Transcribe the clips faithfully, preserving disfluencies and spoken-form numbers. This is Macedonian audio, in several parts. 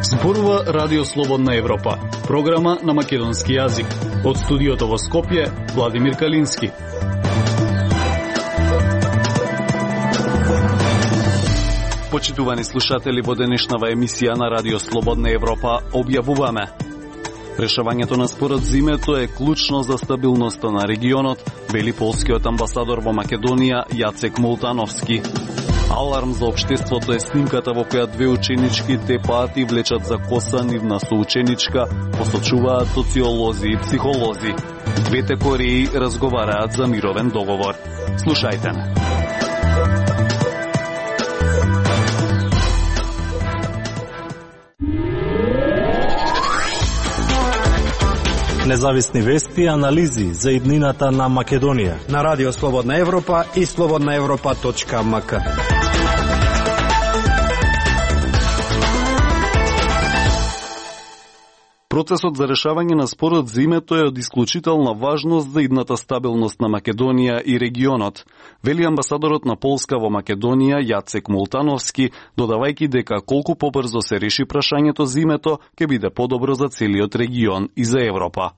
Зборува Радио Слободна Европа, програма на македонски јазик. Од студиото во Скопје, Владимир Калински. Почитувани слушатели, во денешнава емисија на Радио Слободна Европа објавуваме: решавањето на спорот зимето е клучно за стабилноста на регионот, вели полскиот амбасадор во Македонија Јацек Молтановски. Аларм за општеството е снимката во која две ученички тепаат и влечат за коса нивна соученичка, посочуваат социолози и психолози. Двете Кореи разговараат за мировен договор. Слушајте не. Независни вести и анализи за иднината на Македонија на Радио Слободна Европа и слободна европа точка ем ка. Процесот за решавање на спорот зимето е од исклучителна важност за идната стабилност на Македонија и регионот, вели амбасадорот на Полска во Македонија Јацек Молтановски, додавајќи дека колку побрзо се реши прашањето зимето, ќе биде подобро за целиот регион и за Европа.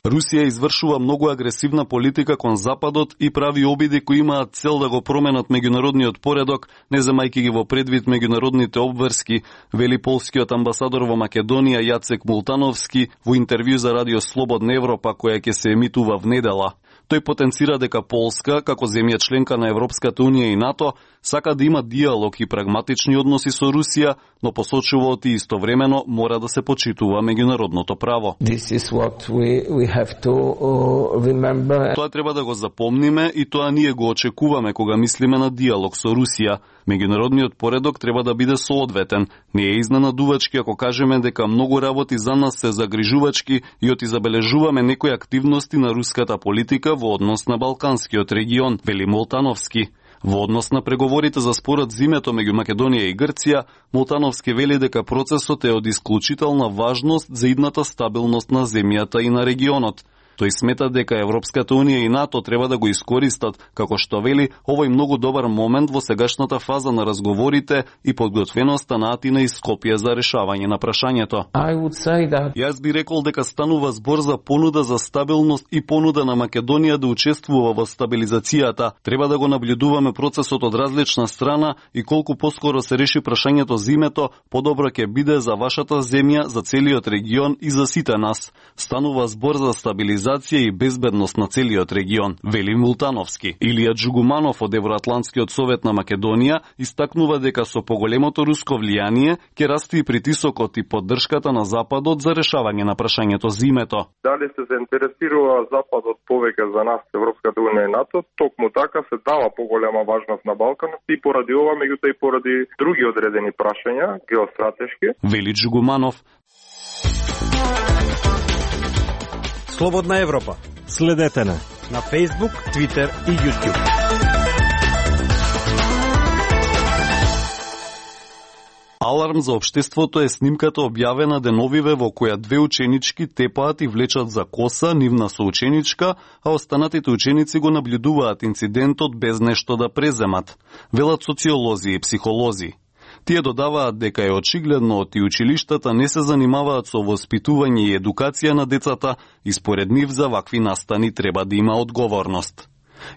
Русија извршува многу агресивна политика кон Западот и прави обиди кои имаат цел да го променат меѓународниот поредок, не земајќи ги во предвид меѓународните обврски, вели полскиот амбасадор во Македонија Јацек Молтановски во интервју за Радио Слободна Европа која ќе се емитува внедела. Тој потенцира дека Полска, како земја членка на Европската Унија и НАТО, сака да има диалог и прагматични односи со Русија, но посочува оти истовремено мора да се почитува меѓународното право. This is what we, we have to uh, remember. Тоа треба да го запомниме и тоа ние го очекуваме кога мислиме на диалог со Русија. Меѓународниот поредок треба да биде соодветен. Не е изненадувачки ако кажеме дека многу работи за нас се загрижувачки и оти забележуваме некои активности на руската политика во однос на Балканскиот регион, вели Молтановски. Во однос на преговорите за спорот зимето меѓу Македонија и Грција, Молтановски вели дека процесот е од исклучителна важност за идната стабилност на земјата и на регионот. Тој смета дека Европската Унија и НАТО треба да го искористат, како што вели, овој многу добар момент во сегашната фаза на разговорите и подготвеноста на Атина и Скопје за решавање на прашањето. That... Јас би рекол дека станува збор за понуда за стабилност и понуда на Македонија да учествува во стабилизацијата. Треба да го наблюдуваме процесот од различна страна и колку поскоро се реши прашањето зимето, подобро ќе биде за вашата земја, за целиот регион и за сите нас. Станува збор за стабилизација и безбедност на целиот регион, вели Молтановски. Илија Джугуманов од Евроатлантскиот совет на Македонија истакнува дека со поголемото руско влијание ќе расте и притисокот и поддршката на Западот за решавање на прашањето зимето. Дали се заинтересирува Западот повеќе за нас, Европската Унија и НАТО, токму така се дава поголема важност на Балканот и поради ова, меѓутоа и поради други одредени прашања, геостратешки, вели Джугуманов. Слободна Европа. Следете на на Facebook, Twitter и YouTube. Аларм за општеството е снимката објавена деновиве во која две ученички тепаат и влечат за коса нивна соученичка, а останатите ученици го наблюдуваат инцидентот без нешто да преземат, велат социолози и психолози. Тие додаваат дека е очигледно оти училиштата не се занимаваат со воспитување и едукација на децата и според нив за вакви настани треба да има одговорност.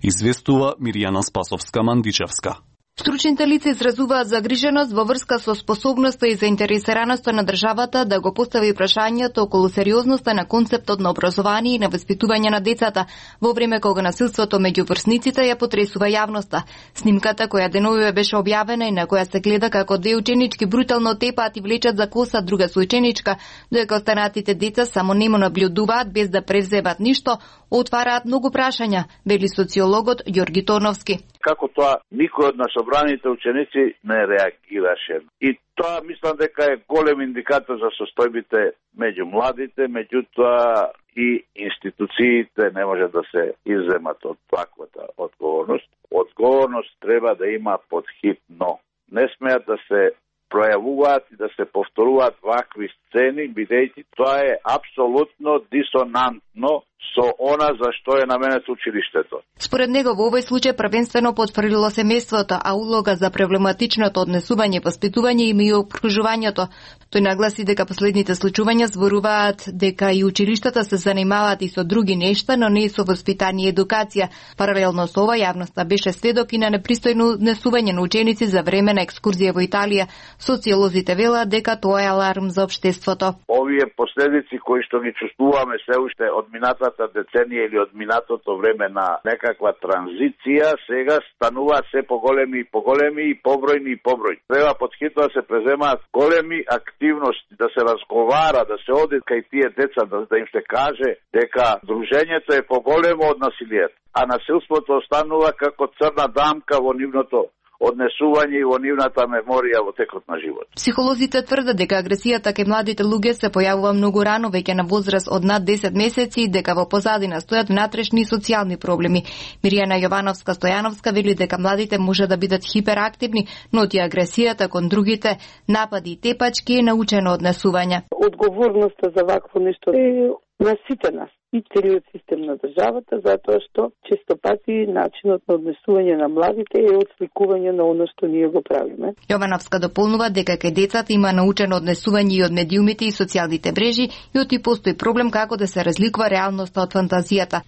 Известува Мирјана Спасовска-Мандичевска. Стручните лица изразуваат загриженост во врска со способноста и заинтересираноста на државата да го постави прашањето околу сериозноста на концептот на образование и на воспитување на децата во време кога насилството меѓу врсниците ја потресува јавноста. Снимката која деновиве беше објавена и на која се гледа како две ученички брутално тепаат и влечат за коса друга соученичка, додека останатите деца само немо наблюдуваат без да преземат ништо, отвараат многу прашања, вели социологот Ѓорги Торновски. Како тоа никој од насобраните ученици не реагираше. И тоа мислам дека е голем индикатор за состојбите меѓу младите, меѓутоа и институциите не може да се изземат од таквата одговорност. Одговорност треба да има подхитно. Не смеат да се пројавуваат и да се повторуваат вакви сцени, бидејќи тоа е апсолутно дисонантно со она за што е наменето училиштето. Според него во овој случај првенствено потврдило семејството, а улога за проблематичното однесување, воспитување има и опружувањето. Тој нагласи дека последните случувања зборуваат дека и училиштата се занимаваат и со други нешта, но не и со воспитание и едукација. Паралелно со ова, јавноста беше сведок и на непристојно однесување на ученици за време на екскурзија во Италија. Социолозите велат дека тоа е аларм за општеството. Овие последици кои што ги чувствуваме се уште од минатата деценија или од минатото време на некаква транзиција, сега стануваат се поголеми и поголеми и побројни и побројни. Треба потхитно да се преземаат големи активности, да се разговара, да се оди кај тие деца, да, да им се каже дека дружењето е поголемо од насилието, а насилството останува како црна дамка во нивното однесување и во нивната меморија во текот на живот. Психолозите тврдат дека агресијата кај младите луѓе се појавува многу рано, веќе на возраст од над десет месеци, и дека во позадина стојат внатрешни и социјални проблеми. Миријана Јовановска-Стојановска вели дека младите може да бидат хиперактивни, но ти агресијата кон другите, напади и тепачки е научено однесување. Одговорноста за вакво нешто е на сите нас и целиот систем на државата, затоа што често пати начинот на однесување на младите е отсликување на оно што ние го правиме. Јовановска дополнува дека кај децата има научено однесување и од медиумите и социјалните мрежи, и оти постои проблем како да се разликува реалноста од фантазијата.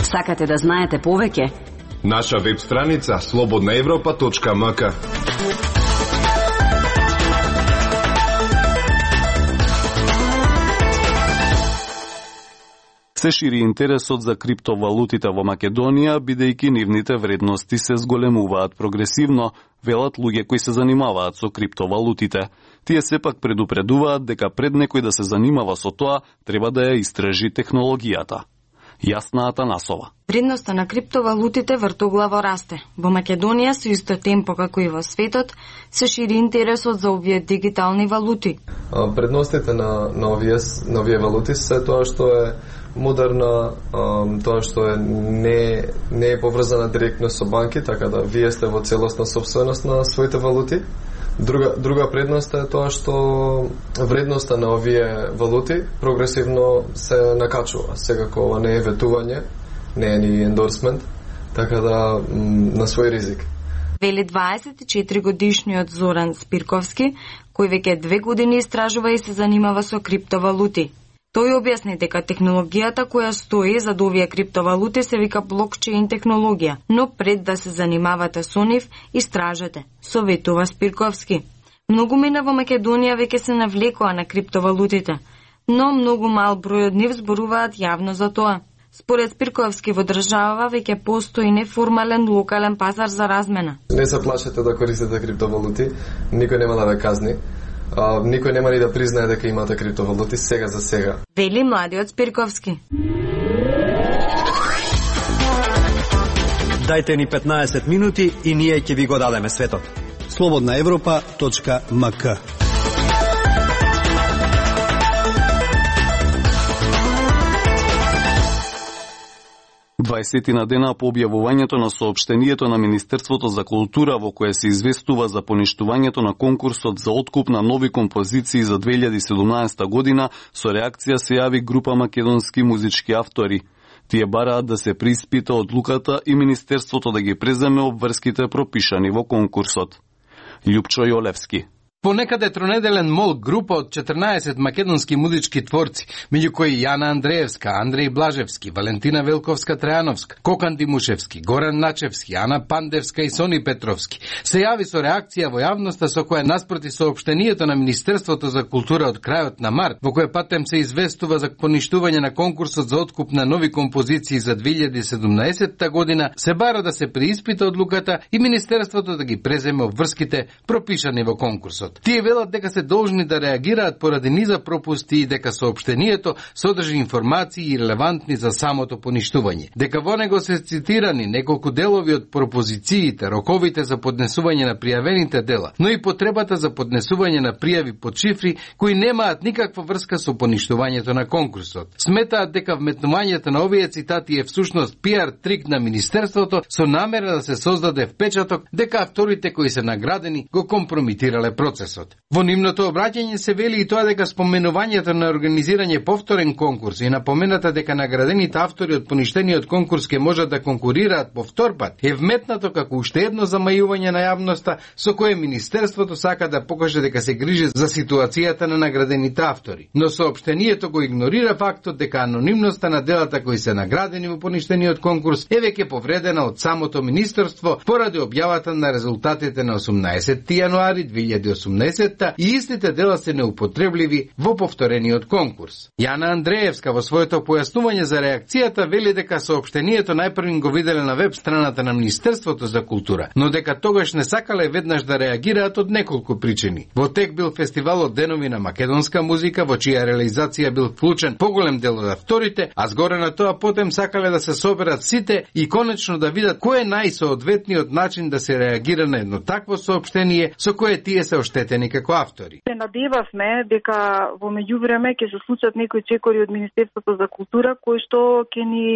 Сакате да знаете повеќе? Наша веб страница слободна европа точка ем ка. Се шири интересот за криптовалутите во Македонија, бидејќи нивните вредности се зголемуваат прогресивно, велат луѓе кои се занимаваат со криптовалутите. Тие сепак предупредуваат дека пред некој да се занимава со тоа, треба да ја истражи технологијата. Јасна Атанасова. Вредноста на криптовалутите вртоглаво расте. Во Македонија со исто темпо како и во светот се шири интересот за овие дигитални валути. Предностите на, на, овие, на овие валути се тоа што е модерна, тоа што е не, не е поврзана директно со банки, така да вие сте во целосна собственост на своите валути. Друга, друга предност е тоа што вредноста на овие валути прогресивно се накачува. Секако ова не е ветување, не е ни ендорсмент, така да на свој ризик. Вели дваесет и четири годишниот Зоран Спирковски, кој веќе две години истражува и се занимава со криптовалути. Тој објасни дека технологијата која стои зад овие криптовалути се вика блокчейн технологија, но пред да се занимавате со нив, истражете, советува Спирковски. Многу мина во Македонија веќе се навлекоа на криптовалутите, но многу мал број од нив зборуваат јавно за тоа. Според Спирковски во држава веќе постои неформален локален пазар за размена. Не се плашете да користите криптовалути, никој нема да ве казни. Uh, никој нема ни да признае дека имате криптовалути сега за сега. Вели младиот Спирковски. Дајте ни петнаесет минути и ние ќе ви го дадеме светот. слободна европа точка ем ка. дваесет на дена по објавувањето на соопштението на Министерството за култура во кое се известува за поништувањето на конкурсот за откуп на нови композиции за две илјади и седумнаесета година, со реакција се јави група македонски музички автори. Тие бараат да се преиспита одлуката и Министерството да ги преземе обврските пропишани во конкурсот. Љупчо Јолевски. Понекаде тронеделен мол група од четрнаесет македонски музички творци, меѓу кои Јана Андреевска, Андреј Блажевски, Валентина Велковска-Трајановска, Кокан Димушевски, Горан Начевски, Ана Пандевска и Сони Петровски, се јави со реакција во јавноста со која наспроти соопштението на Министерството за култура од крајот на март, во кој патем се известува за поништување на конкурсот за откуп на нови композиции за две илјади и седумнаесета година, се бара да се преиспита одлуката и Министерството да ги преземе обврските пропишани во конкурсот. Тие велат дека се должни да реагираат поради низа пропусти и дека соопштението содржи информации релевантни за самото поништување. Дека во него се цитирани неколку делови од пропозициите, роковите за поднесување на пријавените дела, но и потребата за поднесување на пријави под шифри кои немаат никаква врска со поништувањето на конкурсот. Сметаат дека вметнувањето на овие цитати е всушност пиар трик на Министерството со намера да се создаде впечаток дека авторите кои се наградени го компромитирале процесот. процесот. Во нивното обраќање се вели и тоа дека споменувањето на организирање повторен конкурс и напомената дека наградените автори од поништениот конкурс ке можат да конкурираат повтор пат е вметнато како уште едно замајување на јавноста со кое Министерството сака да покаже дека се грижи за ситуацијата на наградените автори. Но соопштението го игнорира фактот дека анонимноста на делата кои се наградени во поништениот конкурс е веќе повредена од самото Министерство поради објавата на резултатите на осумнаесетти јануари две илјади и осумнаесетта и истите дела се неупотребливи во повторениот конкурс. Јана Андреевска во своето појаснување за реакцијата вели дека соопштението најпрвин го виделе на веб страната на Министерството за култура, но дека тогаш не сакале веднаш да реагираат од неколку причини. Во тек бил фестивалот Денови на македонска музика, во чија реализација бил вклучен поголем дел од авторите, а згоре на тоа потем сакале да се соберат сите и конечно да видат кој е најсоодветниот начин да се реагира на едно такво соопштение со кое тие се оштетени како автори. Се надевавме дека во меѓувреме ќе се случат некои чекори од Министерството за култура кои што ќе ни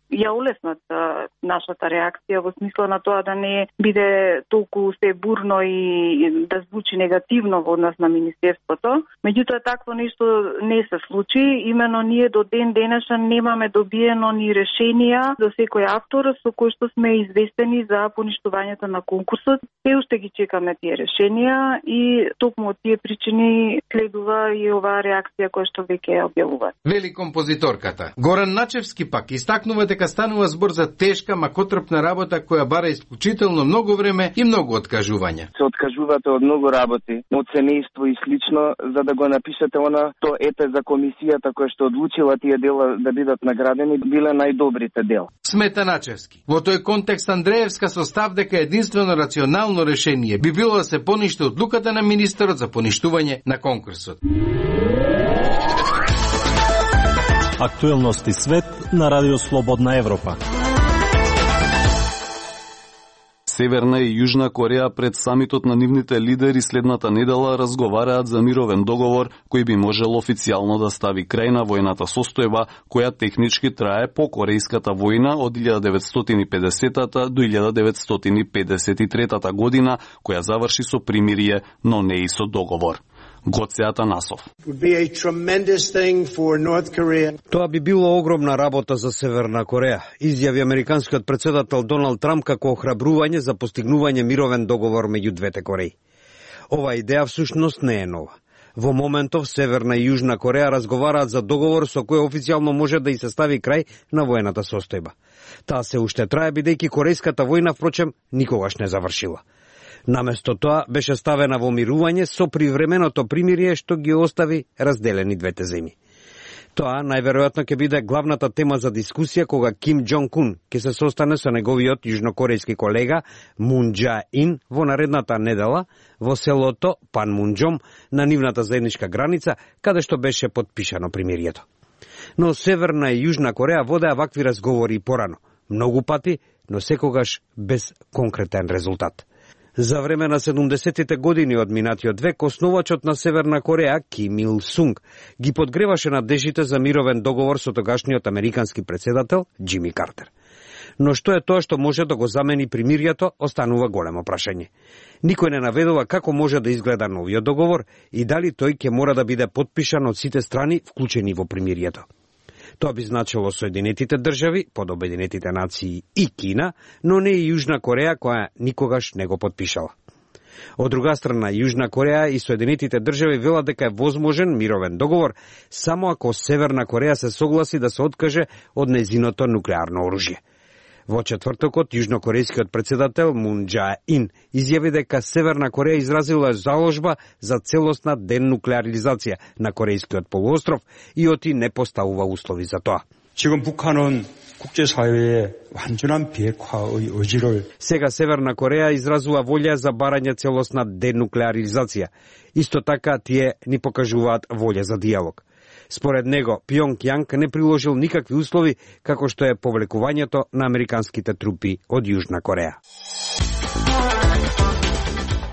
ја улеснат а, нашата реакција во смисла на тоа да не биде толку се бурно и да звучи негативно во однос на Министерството. Меѓутоа такво нешто не се случи, имено ние до ден денешен немаме добиено ни решенија за секој автор со кој што сме известени за поништувањето на конкурсот. Се уште ги чекаме тие решенија и токму од тие причини следува и оваа реакција која што веќе ја објавува. Вели композиторката. Горан Начевски пак истакнува дека станува збор за тешка, макотрпна работа која бара исклучително многу време и многу откажувања. Се откажувате од многу работи, од семејство и слично, за да го напишете она, то ете за комисијата која што одлучила тие дела да бидат наградени, биле најдобрите дела. Смета Начевски. Во тој контекст Андреевска со став дека единствено рационално решение би било да се поништи одлуката на министерот за поништување на конкурсот. Актуелности свет на Радио Слободна Европа. Северна и Јужна Кореја пред самитот на нивните лидери следната недела разговараат за мировен договор кој би можел официјално да стави крај на војната состојба која технички трае по Корејската војна од илјада деветстотини и педесетата до илјада деветстотини педесет и третата година, која заврши со примирие, но не и со договор. Гоце Атанасов. Тоа би било огромна работа за Северна Кореја, изјави американскиот претседател Доналд Трамп како охрабрување за постигнување мировен договор меѓу двете Кореи. Ова идеја всушност не е нова. Во моментов Северна и Јужна Кореја разговараат за договор со кој официјално може да и се стави крај на воената состојба. Таа се уште трае бидејќи Корејската војна впрочем никогаш не завршила. Наместо тоа беше ставена во мирување со привременото примирие што ги остави разделени двете земји. Тоа најверојатно ќе биде главната тема за дискусија кога Ким Џонг Ун ќе се состане со неговиот јужнокорејски колега Мун Џа Ин во наредната недела во селото Панмунџом на нивната заедничка граница, каде што беше подпишано примирието. Но Северна и Јужна Кореја водеа вакви разговори порано, многу пати, но секогаш без конкретен резултат. За време на седумдесеттите години од минатиот век, основачот на Северна Кореја, Ким Ил Сунг, ги подгреваше надежите за мировен договор со тогашниот американски претседател Џими Картер. Но што е тоа што може да го замени примирието, останува големо прашање. Никој не наведува како може да изгледа новиот договор и дали тој ќе мора да биде подпишан од сите страни вклучени во примирието. Тоа би значило Соединетите држави, под Обединетите нации и Кина, но не и Јужна Кореја која никогаш не го подпишала. Од друга страна, Јужна Кореја и Соединетите држави велат дека е возможен мировен договор само ако Северна Кореја се согласи да се откаже од нејзиното нуклеарно оружје. Во четвртокот, јужнокорејскиот претседател Мун Џа Ин изјави дека Северна Кореја изразила заложба за целосна денуклеаризација на Корејскиот полуостров и оти не поставува услови за тоа. 지금 북한은 국제사회의 완전한 비핵화의 의지를 Сега Северна Кореја изразува волја за барање целосна денуклеаризација. Исто така тие ни покажуваат волја за диалог. Според него, Пјонг не приложил никакви услови, како што е повлекувањето на американските трупи од Јужна Кореја.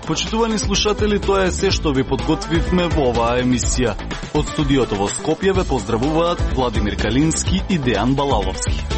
Почитувани слушатели, тоа е се што ви подготвивме во оваа емисија. Од студиото во Скопје ве поздравуваат Владимир Калински и Дејан Балаловски.